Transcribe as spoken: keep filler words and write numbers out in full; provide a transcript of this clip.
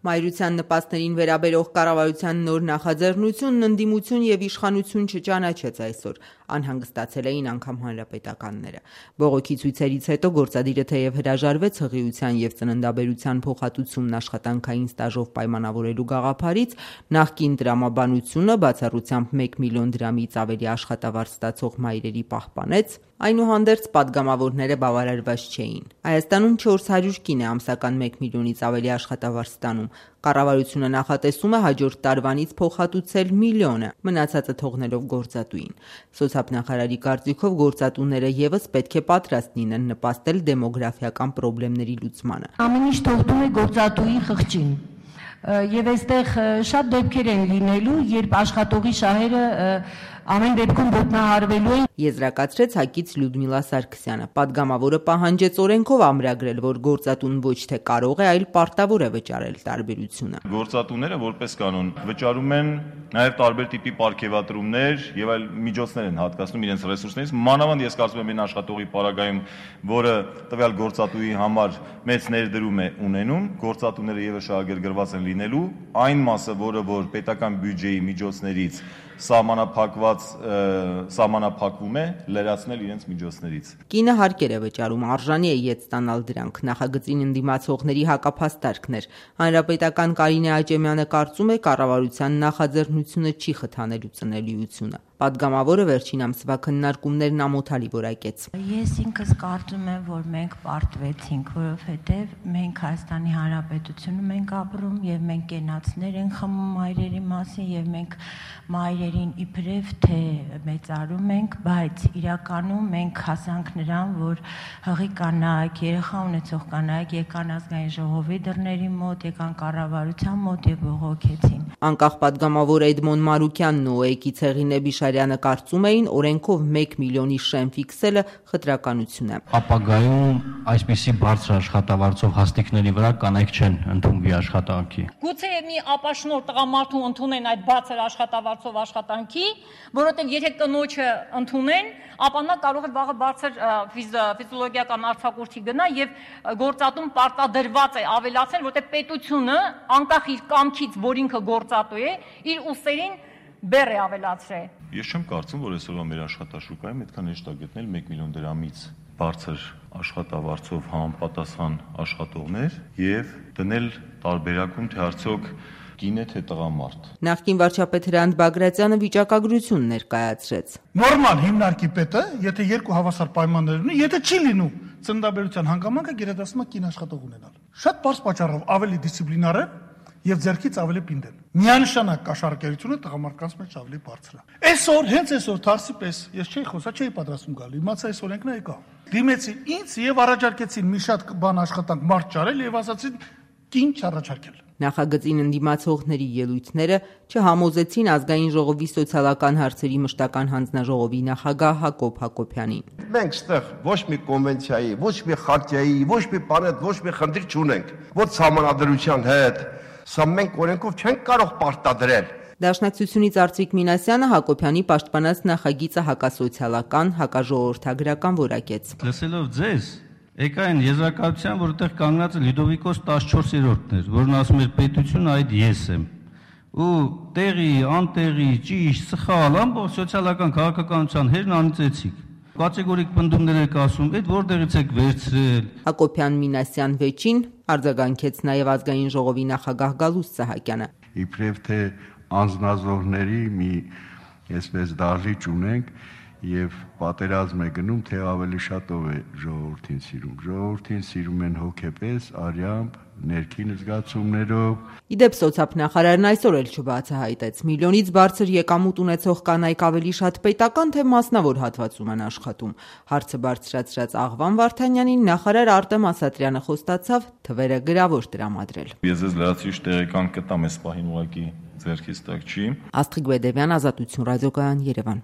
Մայրության նպաստներին վերաբերող կառավարության նոր նախաձեռնությունն ընդդիմություն եւ իշխանություն չճանաչեց այսօր, անհանգստացել էին անգամ հանրապետականները։ Բողոքի ցույցերից հետո գործադիրը թեև հրաժարվեց հղիության եւ ծննդաբերության փոխհատուցումն աշխատանքային ստաժով պայմանավորելու գաղափարից, նախկին տրամաբանությունը բացառությամբ մեկ միլիոն դրամից ավելի աշխատավարձ ստացող մայրերի պահպանեց, այնուհանդերձ պատգամավորները բավարարված չէին։ Հայաստանում չորս հարյուր կին է ամսական մեկ միլիոնից ավելի աշխատավարձ ստանում։ Կառավարությունը նախատեսում է հաջորդ տարվանից փոխհատուցել միլիոնը, մնացածը թողնելով գործատուին։ Սոցիալնախարարի կարծիքով գործատուները ևս պետք է պատրաստ լինեն նպաստել դեմոգրաֆիական խնդիրների լուծմանը։ Ամեն ինչ թողնում է գործատուի խղճին։ Եվ այստեղ շատ դեպքեր են լինելու, երբ աշխատողի շահերը ամեն դեպքում ոտնահարվելու են։ Եզրակացրեց ՀԱԿ-ից Լյուդմիլա Սարգսյանը։ Պատգամավորը պահանջեց օրենքով ամրագրել, որ գործատուն ոչ թե կարող է, այլ պարտավոր է վճարել տարբերությունը։ Գործատուները որպես կանոն վճարում են նաև տարբեր տիպի պարգևատրումներ եւ այլ միջոցներ են հատկացնում իրենց ռեսուրսներից։ Մանավանդ ես կարծում եմ այն աշխատողի պարագայում, որը տվյալ գործատուի համար մեծ ներդրում է ունենում, գործատուները ևս շահագրգռված են լինելու, այն մասը, որը որ պետական բյուջեի միջոցներից սահմանափակված սահմանափակվում է, լրացնել իրենց միջոցներից։ Կինը հարկեր է վճարում, արժանի է ետ ստանալ դրանք, նախագծին ընդդիմացողների հակափաստարկն էր։ Հանրապետական Կարինե Աճեմյանը կարծում է, կառավարության նախաձեռնությունը չի խթանելու ծնելիությունը։ Պատգամավորը վերջին ամսվա քննարկումներն ամոթալի որակեց։ Ես ինքս կարծում եմ, որ մենք պարտվեցինք, որովհետև մենք Հայաստանի Հանրապետությունում ենք ապրում եւ մենք կենացներ ենք խմում մայրերի մասին եւ մենք մայրերին իբրև թե մեծարում ենք, բայց իրականում մենք հասանք նրան, որ հղի կանայք, երեխա ունեցող կանայք եկան ազգային ժողովի դռների մոտ, եկան կառավարության մոտ եւ բողոքեցին։ Անկախ պատգամավոր Էդմոն Մարուկյանն ու ՕԵԿ-ի Ցեղինե Բիշարյանը կարծում էին, օրենքով մեկ միլիոնի շեմ ֆիքսելը խտրականություն է։ Ապագայում այսպիսի բարձր աշխատավարձով հաստիկների վրա կանայք չեն ընդունվի աշխատանքի։ Գուցե մի ապաշնոր տղամարդու ընդունեն այդ բարձր աշխատավարձով աշխատանքի, որովհետև եթե կնոջը ընդունեն, ապա նա կարող է վաղը բարձր ֆիզիոլոգիական արձակուրդի գնա եւ գործատուն պարտադրված է ավելացնել, որովհետև պետությունը անկախ իր կամքից, որ ինքը գործատու է, իր ուսերին բեռ է ավելացրել։ Ես չեմ կարծում, որ այսօրվա մեր աշխատաշուկայում այդքան հեշտ է գտնել մեկ միլիոն դրամից բարձր աշխատավարձով համապատասխան աշխատողներ եւ դնել տարբերակում, թե արդյոք կին է թե տղամարդ։ Նախկին վարչապետ Հրանտ Բագրատյանը վիճակագրություն ներկայացրեց։ Նորմալ հիմնարկի պետը, եթե երկու հավասար պայմաններ ունի, եթե չի լինում ծննդաբերության հանգամանքը, գերադասում է կին աշխատող ունենալ։ Շատ բարձ պատճառով ավելի դիսցիպլինար է եւ ձեռքից ավելի պինդ են։ Միանշանակ կաշառակերությունը տղամարդկանց մեջ ավելի բարձր է։ Այսօր, հենց այսօր Թարսի պես ես չէի խոսա, չէի պատրաստում գալ։ Իմացա այս օրենքն եկա։ Դիմեցի ինձ եւ առաջարկեցին մի շատ բան աշխատանք մարդ ճարել եւ ասացին կին չառաջարկել։ Նախագծին ընդդիմացողների ելույթները չհամոզեցին ազգային ժողովի սոցիալական հարցերի մշտական հանձնաժողովի նախագահ Հակոբ Հակոբյանին։ Մենք ստեղ ոչ մի կոնվենցիայի, ոչ մի խարտիայի, ոչ մի բան հետ ոչ մի խնդիր չունենք։ Ոչ համանadrության հետ, սա մենք օրենքով չենք կարող պարտադրել։ Դաշնակցությունից Արծվիկ Մինասյանը Հակոբյանի պաշտպանած նախագիծը հակասոցիալական, հակաժողովրդագրական որակեց։ Լսելով ձեզ, եկա այն եզրակացության, որ այդտեղ կանգնած է Լյուդովիկոս տասնչորսերորդն էր, որն ասում էր պետությունը այդ ես եմ։ Ու տեղի, անտեղի, ճիշտ, սխալ, ամբողջ սոցիալական քաղաքականության հերն անիծեցիք։ Կատեգորիկ պնդումներ եք ասում, այդ որտեղից եք վերցրել։ Հակոբյան Մինասյան վեճին արձագանքեց նաև ազգային ժողովի նախագահ Գալուստ Սահակյանը։ Իբրև թե անձնազոհների մի այսպես դահլիճ ունենք եւ պատերազմ է գնում, թե ավելի շատով է ժողովրդին սիրում։ Ժողովրդին սիրում են հոգեպես, արյամբ, ներքին զգացումներով։ Իդեպ սոցիալնախարարն այսօր էլ չբացահայտեց միլիոնից բարձր եկամուտ ունեցող կանայք ավելի շատ պետական թե մասնավոր հատվածում են աշխատում։ Հարցը բարձրացրած Աղվան Վարդանյանին նախարար Արտեմ Ասատրյանը խոստացավ թվերը գրավոր տրամադրել։ Ես ես լրացուցիչ տեղեկանք կտամ այս պահին ուղղակի ձեռքից տակ չի։ Աստղիկ Բեդևյան, Ազատություն ռադիոկայան, Երևան։